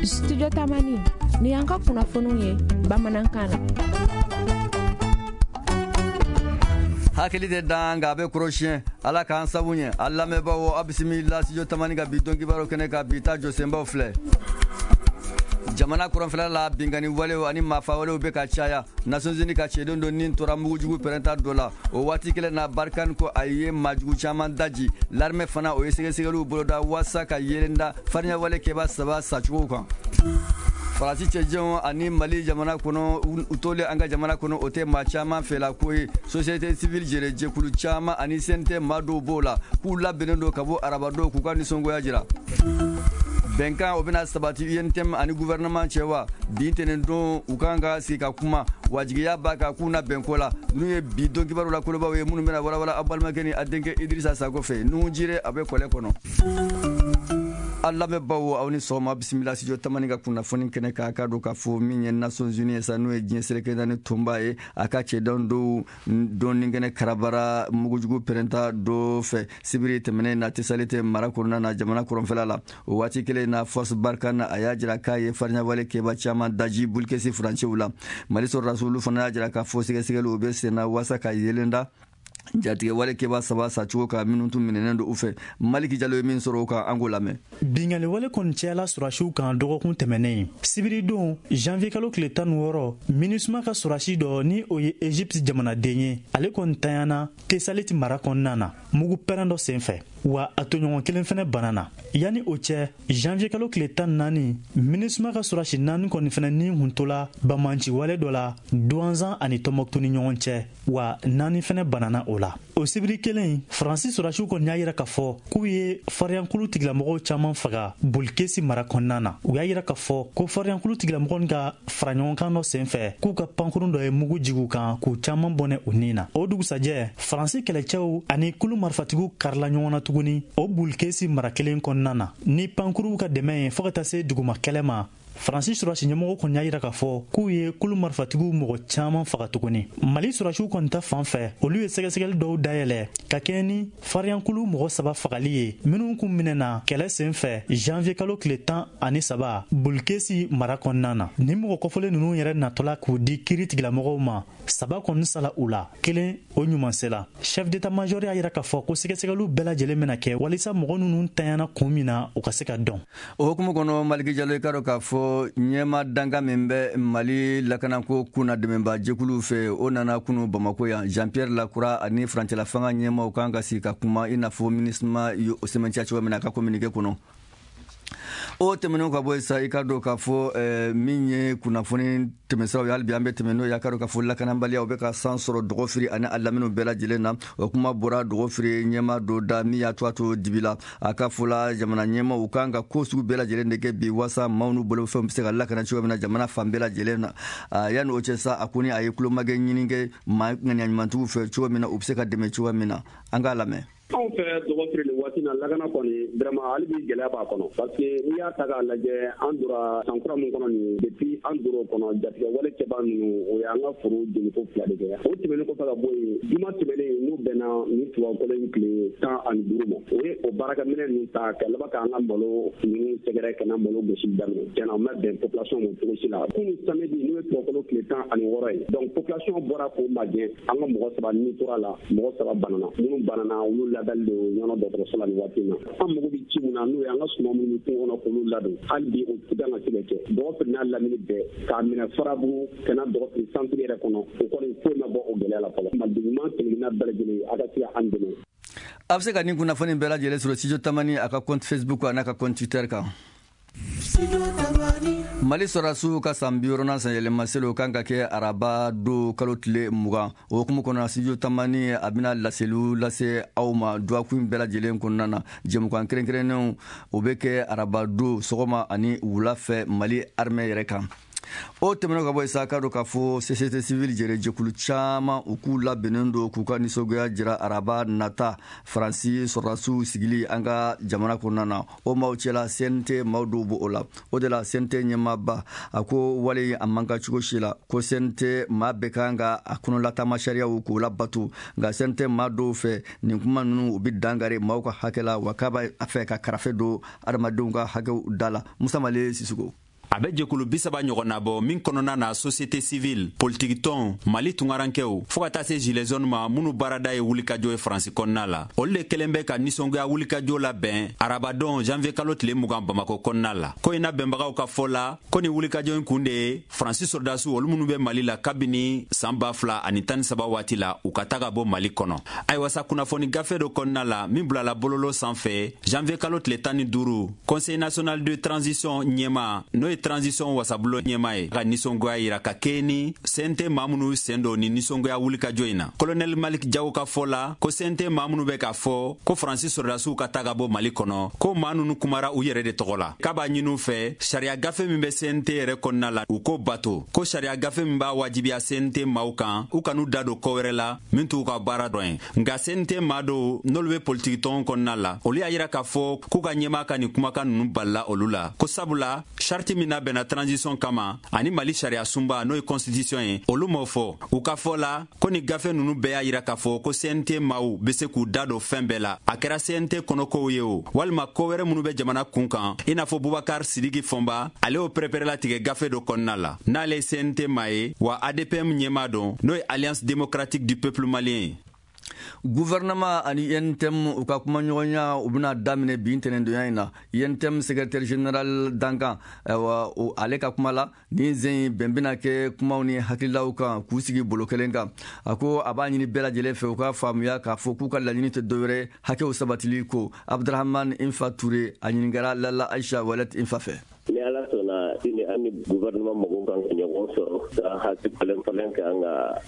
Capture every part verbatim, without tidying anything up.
Studio Tamani ni y'an ka kunnafoniw ye bamanankan na. Hakili tɛ dan nka a bɛ kɔrɔsiyɛn. Ala k'an sabu ɲɛ. A lamɛnbaaw, a bisimila Studio Tamani ka bi don kibaru kɛnɛ kan. Bi ta jɔsenbaw filɛ: jamana kɔrɔnfɛla la, binkani walew ani maafa walew bɛ ka caya. Nations Unies ka cɛden dɔ nin tora mugujugu pɛrɛnta dɔ la. O waati kelen na, Barkhane ko a ye maajugu caman daji. L'armée fana, o ye sɛgɛsɛgɛliw boloda waasa ka yelen da farinya wale kɛba saba sacogo kan. Faransi cɛjɛnw ani Mali jamana kɔnɔ, u tolen an ka jamana kɔnɔ, o tɛ maa caman fɛla ko ye. Société civile jɛrɛ jɛkulu caman ani C N T maa dɔw b'o la k'u labɛnnen don ka bɔ arabadon k'u ka nisɔngoya jira. Bɛnkan o bɛna sabati U N T M ani gouvernement cɛ wa? Bi tɛnɛndon, u kan ka sigi ka kuma. Wajibiya b'a kan k'u na bɛnko la. Ninnu ye bi don kibaru la kolobaw ye minnu bɛna walawala aw balimakɛ ni a denkɛ Idrissa Sako fɛ. Nuhu Jire, a bɛ kɔlɛ kɔnɔ. A lamɛnbaw, aw ni sɔgɔma. Bisimila Studio Tamani ka kunnafoni kɛnɛ k'a ka don k'a fɔ min ye Nations Unies ye sa, n'o ye diɲɛ seleke naani tɔnba ye, a ka cɛdenw dɔw dɔɔni kɛnɛ karabara mugujugu pɛrɛnta dɔ fɛ sibiri tɛmɛnen na Tesalite mara kɔnɔna na, jamana kɔrɔnfɛla la. O waati kelen na, force Barkhane, a y'a jira k'a ye farinyawale kɛba caman daji Bulkesi furancɛw la. Mali sɔrɔdasiw, olu fana y'a jira k'a fɔ sɛgɛsɛgɛliw bɛ senna waasa ka yelen da jatigɛ wale kɛba saba sacogo kan minnu tun minɛnen don u fɛ. Maliki Jalo ye min sɔrɔ o kan, an k'o lamɛn. Bingali wale kɔni cayala sɔrɔdasiw kan dɔgɔkun tɛmɛnen. Sibiridon, janvier kalo tile tan ni wɔɔrɔ, MINUSMA ka sɔrɔdasi dɔ, ni o ye Egypte jamanaden ye, ale kɔni tanyana Tesaliti mara kɔnɔna na mugu pɛrɛn dɔ sen fɛ, wa a toɲɔgɔn kelen fɛnɛ bana na. Yanni o cɛ, janvier kalo tile tan naani, MINUSMA ka sɔrɔdasi naani kɔni fɛnɛ ni kun tola banbanci wale dɔ la Duwanzan ani Tɔnbɔkutu ni ɲɔgɔn cɛ, wa naani fɛnɛ banana o la. O sibiri kelen, Faransi sɔrɔdasiw kɔni y'a yira k'a fɔ k'u ye fariyankulu tigilamɔgɔw caaman faga Bolikesi mara kɔnɔna na. U y'a yira k'a fɔ ko fariyankulu tigilamɔgɔ ka fara ɲɔgɔnkan dɔ sen fɛ, k'u ka pankurun dɔ ye mugu jigi kan k'u caaman bɔnɛ u nin na. O dugusajɛ, Faransi kɛlɛcɛw ani kulu marifatigiw karila ɲɔgɔn na tuguni o Bulikesi mara kelen kɔnɔna na ni pankuruw ka dɛmɛ ye, fɔɔ ka taa se duguma kɛlɛ ma. Faransi sɔrɔdasi ɲɛmɔgɔ kɔni y'a yira k'a fɔ k'u ye kulu marifatigiw mɔgɔ caaman faga tuguni. Mali sɔrɔdasiw kɔni ta fan fɛ, olu ye sɛgɛsɛgɛli dɔw dayɛlɛ ka kɛɲɛ ni fariyankulu mɔgɔ saba fagali ye minnu kun minɛna kɛlɛ sen fɛ janvier kalo tile tan ani saba Bulikesi mara kɔnɔna na. Ni mɔgɔ kɔfɔlen ninnu yɛrɛ natɔla k'u di kiiri tigilamɔgɔw ma, saba kɔni sala u la, kelen o ɲuman sela. Chef d'état major y'a yira k'a fɔ ko sɛgɛsɛgɛliw bɛɛ lajɛlen bɛna kɛ walisa mɔgɔ ninnu tanyana kun min na, u ka se ka dɔn. O hukumu kɔnɔ, Maliki Jalo, i ka dɔn k'a fɔ ɲɛma danga min bɛ Mali lakanako kunna dɛmɛba jɛkuluw fɛ, o nana kunu Bamako yan. Jean Pierre Lacroix ani furancɛla fanga ɲɛmaw kan ka sigi ka kuma, i n'a fɔ MINUSMA ye o sɛmɛntiya cogo min na a ka communiqué kɔnɔ. O tɛmɛnen ka bɔ sa, i ka dɔn k'a fɔ min ye kunnafoni tɛmɛsiraw ye, hali bi an bɛ tɛmɛ n'o ye. A ka dɔn k'a fɔ lakanabaliya o bɛ ka san sɔrɔ Dɔgɔfiri ani a laminiw bɛɛ lajɛlen na. O kuma bɔra Dɔgɔfiri ɲɛma dɔ da min y'a to a to dibi la. A ka fɔ la, jamana ɲɛmaw u kan ka ko sugu bɛɛ lajɛlen de kɛ bi waasa maaw n'u bolofɛnw bɛ se ka lakana cogo min na jamana fan bɛɛ lajɛlen na. Yanni o cɛ sa, a ko ni a ye kulomakɛ ɲini kɛ maa ŋaniya ɲumantigiw fɛ cogo min na, u bɛ se ka dɛmɛ cogo min na. An k'a lamɛn. Anw fɛ Dɔgɔfiri nin waati na, lakana kɔni, vraiment, hali bi gɛlɛya b'a kɔnɔ, parce que n'i y'a ta k'a lajɛ, an donna san kura min kɔnɔ nin, depuis an donna o kɔnɔ, jatigɛ wale kɛbaa ninnu, o y'an ka foro jeliko fila de kɛ. O tɛmɛnen kɔfɛ ka bɔ yen, juma tɛmɛnen, n'o bɛnna ni tubabukalo in tile tan ani duuru ma, o ye o baarakɛminɛ ninnu ta ka laban k'an ka malo ninnu sɛgɛrɛ ka na malo gosili daminɛ. Tiɲɛna, o ma bɛn population ma cogo si la. Kunu samedi, n'o ye tubabukalo tile tan ani wɔɔrɔ ye, donc population bɔra k'o magɛn. An ka mɔgɔ saba ni tora la, mɔgɔ saba banana. Minnu banana, olu ladali don ɲɔnɔ dɔgɔtɔrɔso la nin waati in na. An mago bɛ ci mun na, n'o ye an ka suman minnu bɛ kungo kɔnɔ k'olu ladon, hali bi o ti kan ka se ka kɛ. Dɔgɔfiri n'a lamini bɛɛ, k'a minɛ Farabugu ka na Dɔgɔfiri centre yɛrɛ kɔnɔ, o kɔni foyi ma bɔ o gɛlɛya la fɔlɔ. Maliden ɲuman kelenkelenna bɛɛ lajɛlen, a ka se ka an dɛmɛ. A bɛ se ka nin kunnafoni bɛɛ lajɛlen sɔrɔ Studio Tamani a ka compte Facebook a n'a ka compte Twitter kan. Mali sɔrɔdasiw ka san bi wɔɔrɔnan san yɛlɛmaseliw kan ka kɛ araba don kalo tile mugan. O hukumu kɔnɔ, Studio Tamani a bɛna laseliw lase aw ma dɔgɔkun bɛɛ lajɛlen kɔnɔna na. Jɛmukan kɛrɛnkɛrɛnnenw, o bɛ kɛ araba don sɔgɔma ani wula fɛ Mali armée yɛrɛ kan. O tɛmɛnen ka bɔ yen sa, ka don k'a fɔ société civile jɛrɛ jɛkulu caman, u k'u labɛnnen don k'u ka nisɔngoya jira araba nata Faransi sɔrɔdasiw sigili an ka jamana kɔnɔna na. O maaw cɛla, C N T maaw dɔw b'o la. O de la, C N T ɲɛmaaba a ko wale a man kan cogo si la, ko C N T maa bɛɛ kan ka a kɔnɔlatama sariyaw k'o labato. Nka C N T maa dɔw fɛ, nin kuma ninnu, u bɛ dankari maaw ka hakɛ la, wa k'a b'a fɛ ka karafe don adamadenw ka hakɛw da la. Musa Male Sisoko. A bɛ jɛkulu bi saba ɲɔgɔn na bɔ min kɔnɔna na société civile, politiki tɔn, Mali tungarankɛw, fo ka taa se gilets jaunes ma minnu baarada ye wulikajɔ ye Faransi kɔnɔna la. Olu de kɛlen bɛ ka nisɔngoya wulikajɔ labɛn arabadon janvier kalo tile mugan Bamakɔ kɔnɔna la. Ko in na bɛnbagaw ka fɔ la ko ni wulikajɔ in kun de ye Faransi sɔrɔdasiw olu minnu bɛ Mali la kabini san ba fila ani tan ni saba waati la, u ka taga bɔ Mali kɔnɔ. Ayiwa sa, kunnafoni gafe dɔ kɔnɔna la min bilala bololo sanfɛ janvier kalo tile tan ni duuru, Conseil national de transition ɲɛma, n'o ye transition wasabulon ɲɛma ye, ka nisɔngoya yira ka kɛɲɛ ni C N T maa minnu sen don ni nisɔngoya wulikajɔ in na. Colonel Malik Jaw ka fɔ la ko C N T maa minnu bɛ k'a fɔ ko Faransi sɔrɔdasiw ka taga bɔ Mali kɔnɔ, ko maa ninnu kumara u yɛrɛ de tɔgɔ la, k'a b'a ɲini u fɛ sariya gafe min bɛ C N T yɛrɛ kɔnɔna la, u k'o bato, ko sariya gafe min b'a wajibiya C N T maaw kan u kan'u da don ko wɛrɛ la min t'u ka baara dɔ ye. Nka C N T maa dɔw n'olu bɛ politiki tɔn kɔnɔna la, olu y'a yira k'a fɔ k'u ka ɲɛmaa ka nin kumakan ninnu balila olu la, ko sabula charte min labɛnna transition kama ani Mali sariya sunba, n'o ye constitution ye, olu m'o fɔ. U ka fɔ la ko ni gafe ninnu bɛɛ y'a yira k'a fɔ ko C N T maaw be se k'u da don fɛn bɛɛ la, a kɛra C N T kɔnɔkow ye o walima ko wɛrɛ minnu bɛ jamana kun kan, i n'a fɔ Bubakar Sidiki Fɔnba, ale y'o pɛrɛpɛrɛlatigɛ gafe dɔ kɔnɔna la. N'ale ye C N T maa ye wa A D P M ɲɛmaa don, n'o ye Alliance démocratique du peuple malien ye. Gouvernement ani U N T M u ka kumaɲɔgɔnya u bɛna daminɛ bi ntɛnɛndonya in na. U N T M secrétaire général dankan, ayiwa, ale ka kuma la, nin zen bɛn bɛna kɛ kumaw ni hakililaw kan k'u sigi bolo kelen kan. A ko a b'a ɲini bɛɛ lajɛlen fɛ u ka faamuya k'a fɔ k'u ka laɲini tɛ dɔwɛrɛ hakɛw sabatili ko. Abdurahman Infa Ture, a ɲininkara Lala Aisha Walet Infa fɛ. Ni Ala sɔnna, sini an ni gouvernement mɔgɔw kan ka ɲɔgɔn sɔrɔ ka hakili falen falen kɛ an ka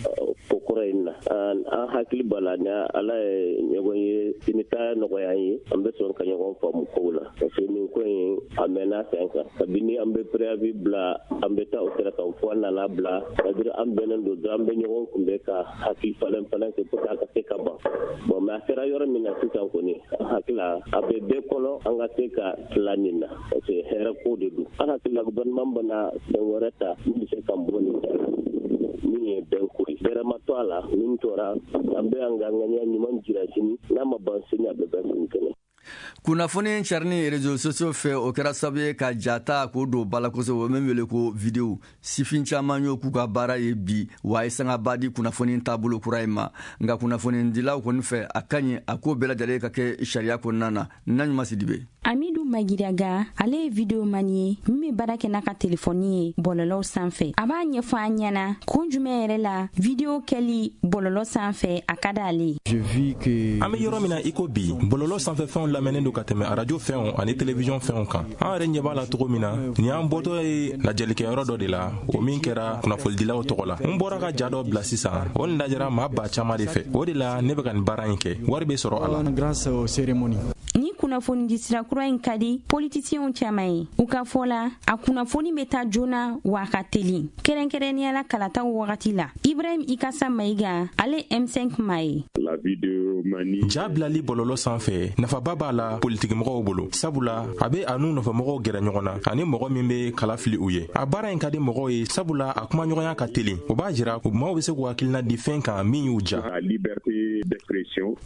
ko kɔrɔ in na. An hakili b'a la, ni Ala ye ɲɔgɔn ye sini ta nɔgɔya an ye, an bɛ sɔn ka ɲɔgɔn faamu kow la, parce que nin ko in a mɛnna sen kan. Kabini an bɛ préavis bila, an bɛ taa o sira kan fo an nana bila, c'est à dire an bɛnnen don dɔrɔn, an bɛ ɲɔgɔn kunbɛn ka hakili falen falen kɛ pour que a ka se ka ban. Bon, mais a sera yɔrɔ min na sisan kɔni, an hakili la a bɛ bɛɛ kɔnɔ an ka se ka tila nin na, parce que hɛrɛ ko de don. An hakili la gouvernement bɛna fɛn wɛrɛ ta min bɛ se ka bɔ nin da la, min ye bɛn ko ye, bɛrɛ ma to a la. Min tora, an bɛ an ka ŋaniya ɲuman jira sini, n'a ma ban sini, a bɛ ban sini kɛnɛ. Kunnafoni carini réseaux sociaux fɛ, o kɛra sababu ye ka jata k'o don ba la kosɛbɛ, o min wele ko vidéo. Sifin caman y'o k'u ka baara ye bi, wa a ye sangaba di kunnafoni taabolo kura in ma. Nka kunnafonidilaw kɔni fɛ, a ka ɲi a ko bɛɛ lajɛlen ka kɛ sariya kɔnɔna na. Naɲuman Sidibe. Amidu Magiraga, ale ye vidéoman ye min bɛ baara kɛ n'a ka telefɔni ye bɔlɔlɔw sanfɛ. A b'a ɲɛfɔ an ɲɛna kun jumɛn yɛrɛ la vidéo kɛli bɔlɔlɔ sanfɛ a ka d'ale ye. An bɛ yɔrɔ min na i ko bi, bɔlɔlɔ sanfɛ fɛnw lamɛnnen don ka tɛmɛ arajo fɛnw ani télévision fɛnw kan. An yɛrɛ ɲɛ b'a la cogo min na, nin y'an bɔtɔ ye lajɛlikɛyɔrɔ dɔ de la, o min kɛra kunnafonidilaw tɔgɔ la. N bɔra ka ja dɔ bila sisan, o nin lajɛra maa ba caman de fɛ. O de la ne bɛ ka nin baara in kɛ, wari bɛ sɔrɔ a la. Ni kunnafoni sira kura in ka di politisiyɛnw caman ye. U ka fɔ la, a kunnafoni bɛ taa joona wa a ka teli, kɛrɛnkɛrɛnnenya la kalataw wagati la. Ibrahim Ikasa Mayiga, ale M cinq maa ye. Ja bilali bɔlɔlɔ sanfɛ, nafaba b'a la politikimɔgɔw bolo, sabula a bɛ a n'u nɔfɛmɔgɔw gɛrɛ ɲɔgɔn na ani mɔgɔ min bɛ kala fili u ye. A baara in ka di mɔgɔw ye, sabula a kumaɲɔgɔnya ka teli. O b'a jira maaw bɛ se k'u hakilina di fɛn kan min y'u ja.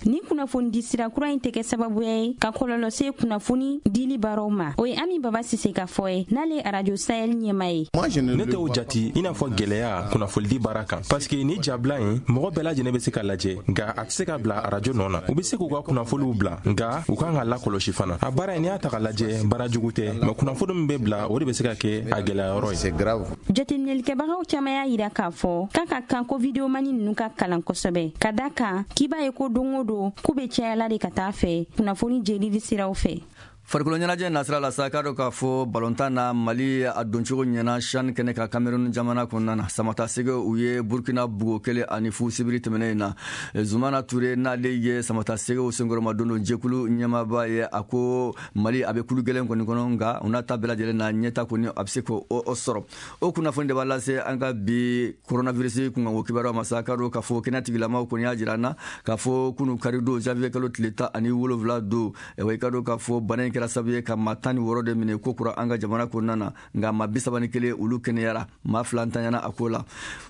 Ni kunnafoni di sira kura in tɛ kɛ sababuya ye ka kɔlɔlɔ se kunnafoni dili baaraw ma, o ye Ami Baba Sise ka fɔ ye, n'ale ye Arajo Sahel ɲɛma ye. Ne t'o jati i n'a fɔ gwɛlɛya kunnafonidi baara kan, paske ni jabila in, mɔgɔ bɛɛ lajɛlen bɛ se ka lajɛ, nka a tɛ se ka bila arajo nɔ na. U bɛ se k'u ka kunnafoniw bila, nka u kan ka lakɔlɔsi fana. A baara in, n'i y'a ta ka lajɛ, baara jugu tɛ, mɛ kunnafoni min bɛ bila, o de bɛ se ka kɛ a gwɛlɛya yɔrɔ ye. Jateminɛlikɛbagaw caman y'a yira k'a fɔ k'a ka kan ko videomani ninnu ka kalan kosɛbɛ, ka da kan k'i b'a ye ko don o don k'u bɛ cayala de ka taa fɛ kunnafoni jelili siraw fɛ. Farikolo ɲɛnajɛ nasira la sa, k'a dɔn k'a fɔ balontan na, Mali a doncogo ɲɛna CHAN kɛnɛ ka Cameroun jamana kɔnɔna na. Samata Sɛgɛ, u ye Burkina bugo kelen ani fu sibiri tɛmɛnen in na. Zumana Ture, n'ale ye Samata Sɛgɛw senkɔrɔma don don jɛkulu ɲɛmaaba ye, a ko Mali a bɛ kulu gɛlɛn kɔni kɔnɔ, nka u n'a ta bɛɛ lajɛlen na, ɲɛta kɔni a bɛ se k'o sɔrɔ. O kunnafoni de b'a lase an ka bi coronavirus kunkanko kibaruyaw ma sa. K'a dɔn k'a fɔ kɛnɛya tigilamaw kɔni y'a jira an na k'a fɔ kunu kari don, janvier kalo tile tan ani wolonwula don, wa i ka dɔn k'a fɔ bana in kɛra kɛra sababu ye ka maa tan ni wɔɔrɔ de minɛ ko kura an ka jamana kɔnɔna na, nka maa bi saba ni kelen olu kɛnɛyara, maa fila ntanyana a ko la.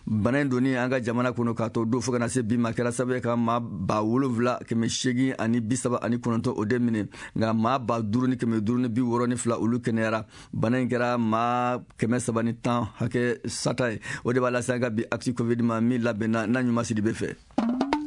Bana in donni an ka jamana kɔnɔ k'a to don fo ka na se bi ma kɛra sababu ye ka maa ba wolonwula kɛmɛ seegin ani bi saba ani kɔnɔntɔn o de minɛ, nka maa ba duuru ni kɛmɛ duuru ni bi wɔɔrɔ ni fila olu kɛnɛyara. Bana in kɛra maa kɛmɛ saba ni tan hakɛ sata ye. O de b'a lase an ka bi Actu Covid ma min labɛnna n'a ɲuman Sidibe fɛ.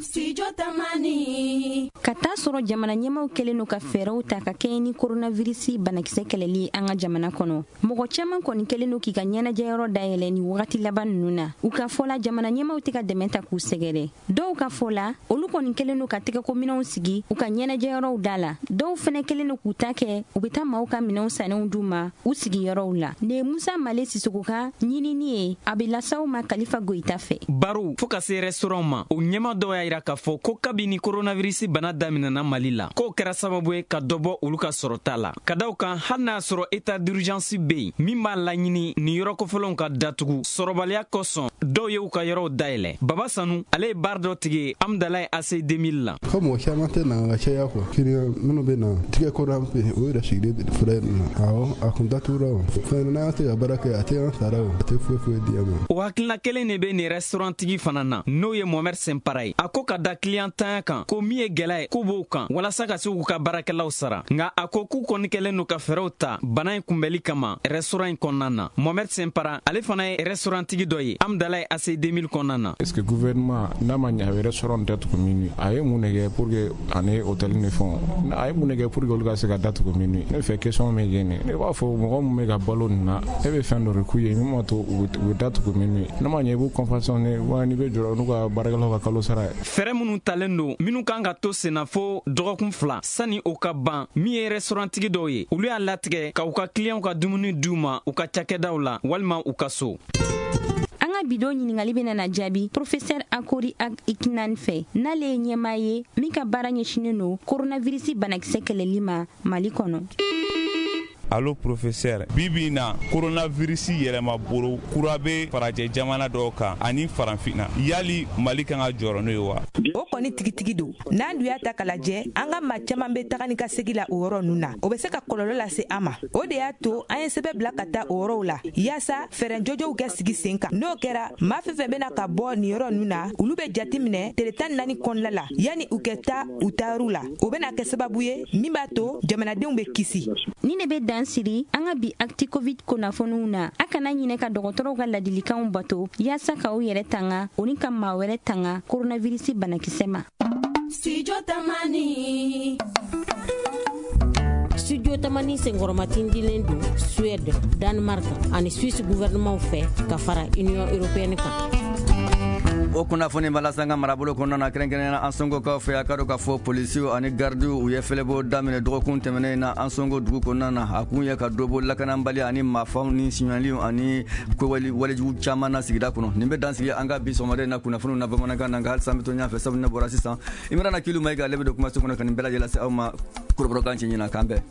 Studio Tamani. Ka taa sɔrɔ jamana ɲɛmaw kɛlen don ka fɛɛrɛw ta ka kɛɲɛ ni coronavirus banakisɛ kɛlɛli ye an ka jamana kɔnɔ. Mɔgɔ caman kɔni kɛlen don k'i ka ɲɛnajɛyɔrɔ dayɛlɛ ni wagati laban ninnu na. U ka fɔ la, jamana ɲɛmaw tɛ ka dɛmɛ ta k'u sɛgɛrɛ. Dɔw ka fɔ la, olu kɔni kɛlen don ka tɛgɛkominɛnw sigi u ka ɲɛnajɛyɔrɔw da la. Dɔw fɛnɛ kɛlen don k'u ta kɛ, u bɛ taa maaw ka minɛnw sannenw d'u ma u sigiyɔrɔw la. Nin ye Musa Male Sisoko ka ɲinini ye, a bɛ lasaw ma Kalifa Goyita fɛ. Baro fo ka se restaurant ma, o ɲɛma dɔw y'a jira k'a fɔ ko kabini coronavirus bana daminɛna Mali la, k'o kɛra sababu ye ka dɔ bɔ olu ka sɔrɔta la. Ka da o kan, hali n'a sɔrɔ état d'urgence bɛ yen min b'a laɲini nin yɔrɔ kofɔlenw ka datugu sɔrɔbaliya kosɔn, dɔw ye u ka yɔrɔw dayɛlɛ. Baba Sanu, ale ye baara dɔ tigi ye Amdalaye A C deux mille la. Ko mɔgɔ caman tɛ na ka caya quoi, client minnu bɛ na tigɛ ko la o yɛrɛ sigilen fura in na. Awɔ, a kun datugura o fɛn n'an tɛ ka baara kɛ, a tɛ an sara o, a tɛ foyi foyi di an ma. O hakilina kelen de bɛ nin restaurant tigi fana na, n'o ye Mohamed Senpara ye. A ko ka da client tanya kan, ko min ye gɛlɛya ye k'u b'o kan walasa ka se k'u ka baarakɛlaw sara. Nka a ko k'u kɔni kɛlen don ka fɛɛrɛw ta bana in kunbɛli kama restaurant in kɔnɔna na. Mohamed Senpara, ale fana ye restaurant tigi dɔ ye Amdalaye A C deux mille kɔnɔna na. Est-ce que gouvernement n'a ma ɲɛ a bɛ restaurant datugu minuit, a ye mun de kɛ pour que ani hôtel ni fɛnw, a ye mun de kɛ pour que olu ka se ka datugu minuit? Ne fɛ question min ye nin, ne b'a fɔ mɔgɔ min bɛ ka balo nin na, e bɛ fɛn dɔ de k'u ye min b'a to u bɛ datugu minuit. N'a ma ɲɛ i b'u compensation ni wa n'i bɛ jɔrɔ n'u ka baarakɛlaw ka kalo sara ye. Fɛɛrɛ minnu talen don minnu kan ka to senna fo dɔgɔkun fila sani o ka ban, min ye restaurant tigi dɔw ye, olu y'a latigɛ ka u ka clientw ka dumuni d'u ma u ka cakɛdaw la walima u ka so. An ka bidon ɲininkali bɛna na jaabi professeur Akori Ag Ikinan fɛ, n'ale ye ɲɛmaa ye min ka baara ɲɛsinnen don coronavirus banakisɛ kɛlɛli ma Mali kɔnɔ. Allo professeur, bi bi in na coronavirus yɛlɛma bolo kura bɛ farajɛ jamana dɔw kan ani farafinna, yali Mali kan ka jɔrɔ n'o ye wa? O kɔni tigitigi don. N'an dun y'a ta k'a lajɛ, an ka maa caman bɛ taga ni ka segin la o yɔrɔ ninnu na, o bɛ se ka kɔlɔlɔ lase an ma. O de y'a to an ye sɛbɛn bila ka taa o yɔrɔw la yaasa fɛɛrɛ jɔjɔw kɛ sigi sen kan. N'o kɛra, maa fɛn fɛn bɛna ka bɔ nin yɔrɔ ninnu na, olu bɛ jate minɛ tile tan ni naani kɔnɔna la yanni u kɛ taa u taayɔrɔ la. O bɛna kɛ sababu ye min b'a to jamanadenw bɛ kisi. Ni ne bɛ dan siri an ka bi Actu Covid kunnafoniw na. A kana ɲinɛ ka dɔgɔtɔrɔw ka ladilikanw bato yaasa k'aw yɛrɛ tanga o ni ka maa wɛrɛ tanga coronavirus banakisɛ ma. Studio Tamani. Studio Tamani senkɔrɔmatindilen don Suède, Danemark ani Suisse gouvernement fɛ ka fara Union européenne kan. O kunnafoni b'a lase an ka marabolo kɔnɔna na, kɛrɛnkɛrɛnnenya Ansongokaw fɛ. A ka dɔn k'a fɔ polisiw ani gardiw u ye fɛlɛbɔ daminɛ dɔgɔkun tɛmɛnen na Ansongo dugu kɔnɔna na. A kun ye ka dɔ bɔ lakanabali ani maafaw ni siɲɛliw ani ko walejugu caman na sigida kɔnɔ. Nin bɛ dan sigi an ka bi sɔgɔmada in na kunnafoniw na bamanankan na, nka halisa an bɛ to ɲɛfɛ fɛ sabu ne bɔra sisan. Imrana Kilu Mayiga ale bɛ don kumaso kɔnɔ ka nin bɛɛ lajɛlen lase aw ma kɔrɔbɔrɔkan cɛ ɲɛna. K'an bɛn.